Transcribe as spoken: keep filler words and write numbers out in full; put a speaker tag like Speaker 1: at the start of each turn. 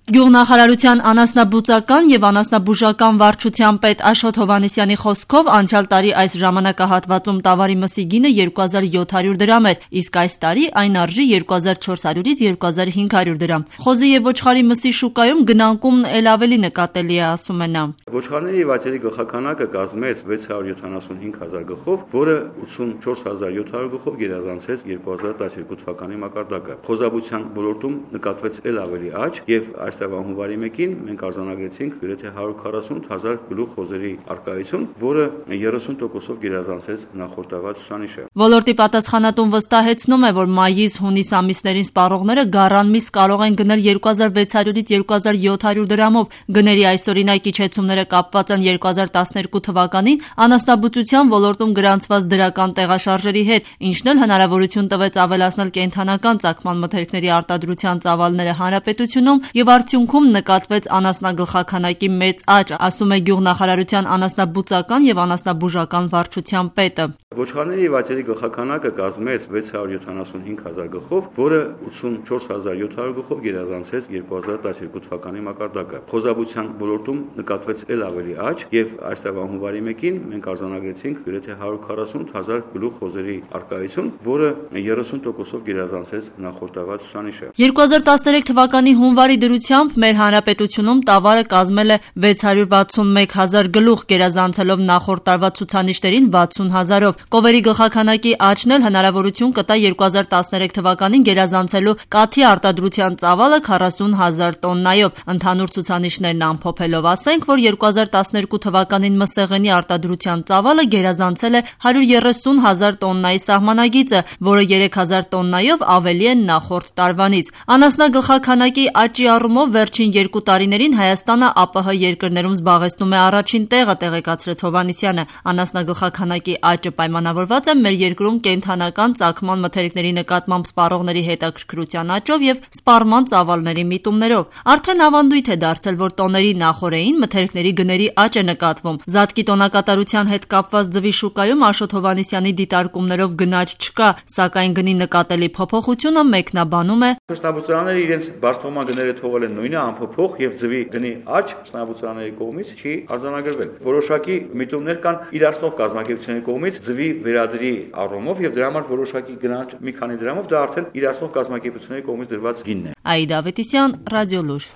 Speaker 1: Գյուղնախարարության անասնաբուծական եւ անասնաբուժական վարչության պետ Աշոտ Հովհաննիսյանի խոսքով անցյալ տարի այս ժամանակահատվածում տավարի մսի գինը երկու հազար յոթ հարյուր դրամ էր, իսկ այս տարի այն արժի երկու հազար չորս հարյուրից երկու հազար հինգ հարյուր դրամ։ Խոզի եւ ոչխարի մսի շուկայում գնանկումն էլ ավելի նկատելի է, ասում է նա։
Speaker 2: Ոչխարների եւ այծերի գլխականակը կազմեց վեց հարյուր յոթանասունհինգ հազար գլխով, որը ութսունչորս հազար յոթ հարյուր գլխով գերազանցեց երկու հազար տասնյոթ թվականի մակարդակը։ Խոզաբուծության ոլորտում նկատվեց էլ ավելի աճ եւ այստեղ հունվարի մեկին մենք արձանագրեցինք գրեթե հարյուր քառասուն հազար գլուխ խոզերի արկայություն, որը երեսուն տոկոսով գերազանցեց նախորդ տարվա ցուցանիշը։
Speaker 1: Ոլորտի պատասխանատուն վստահեցնում է, որ մայիս-հունիս ամիսներին սպառողները գառան միս կարող են գնել երկու հազար վեց հարյուրից երկու հազար յոթ հարյուր դրամով։ Գների այսօրինակ իջեցումները կապված են երկու հազար տասներկու թվականին անասնաբուծության ոլորտում գրանցված դրական տեղաշարժերի հետ, ինչն էլ հնարավորություն տվեց ավելացնել կենդանական ծագման մթերքների արտադրության ծավալները հանրապետությունում եւ արդյունքում նկատվեց անասնագլխաքանակի մեծ աճ, ասում է Գյուղնախարարության անասնաբուծական եւ անասնաբուժական վարչության պետը։
Speaker 2: Ոչխարների եւ այծերի գլխականակը կազմեց վեց հարյուր յոթանասունհինգ հազար գլխով, որը ութսունչորս հազար յոթ հարյուր գլխով գերազանցեց երկու հազար տասնյոթ թվականի մակարդակը։ Խոզաբուծության ոլորտում նկատվեց էլ ավելի աճ եւ այս տարվա հունվարի մեկին մենք արձանագրեցինք գրեթե հարյուր քառասուն հազար գլուխ խոզերի արկայություն, որը երեսուն տոկոսով գերազանցեց նախորդ տարվա ցուցանիշը։
Speaker 1: երկու հազար տասներեք թվականի հունվարի դրությամբ մեր հանրապետությունում տավարը կազմել է վեց հարյուր վաթսունմեկ հազար գլուխ, գերազանցելով նախորդ տարվա ցուցանիշներին վաթսուն հազարով։ Կովերի գլխաքանակի աճն էլ հնարավորություն կտա երկու հազար տասներեք թվականին գերազանցելու կաթի արտադրության ծավալը քառասուն հազար տոննայով։ Ընդհանուր ցուցանիշներն ամփոփելով ասենք, որ երկու հազար տասներկու թվականին մսեղենի արտադրության ծավալը գերազանցել է հարյուր երեսուն հազար տոննայի սահմանագիծը, որը երեք հազար տոննայով ավելի է նախորդ տարվանից։ Անասնագլխաքանակի աճի առումով վերջին երկու տարիներին Հայաստանը ԱՊՀ երկրներում զբաղեցնում է առաջին տեղը, տեղեկացրեց Հովհաննիսյանը։ Անասնագլխաքանակի աճը պայմանավորված է մեր երկրում կենդանական ծագման մթերքների նկատմամբ սպառողների հետաքրքրության աճով եւ սպառման ծավալների միտումներով։ Արդեն ավանդույթ է դարձել, որ տոների նախօրեին մթերքների գների աճ է նկատվում։ Զատկի տոնակատարության հետ կապված ձվի շուկայում Աշոտ Հովհաննիսյանի դիտարկումներով գնաճ չկա, սակայն գնի նկատելի փոփոխությունը մեկնաբանում է։
Speaker 2: Շնաբուծարանները իրենց բարձրացման գները թողել են նույնը անփոփոխ եւ ձվի գնի աճ շնաբուծարանների կողմից չի արձանագրվել։ Որոշակի միտումներ կան իրացնող կազմակերպությունների կողմից ձվի վերադրի առումով եւ դրա համար որոշակի գնաճ մի քանի դրամով դա արդեն իրացնող կազմակերպությունների կողմից դրված գինն է։
Speaker 1: Աիդա Ավետիսյան, Ռադիոլուր։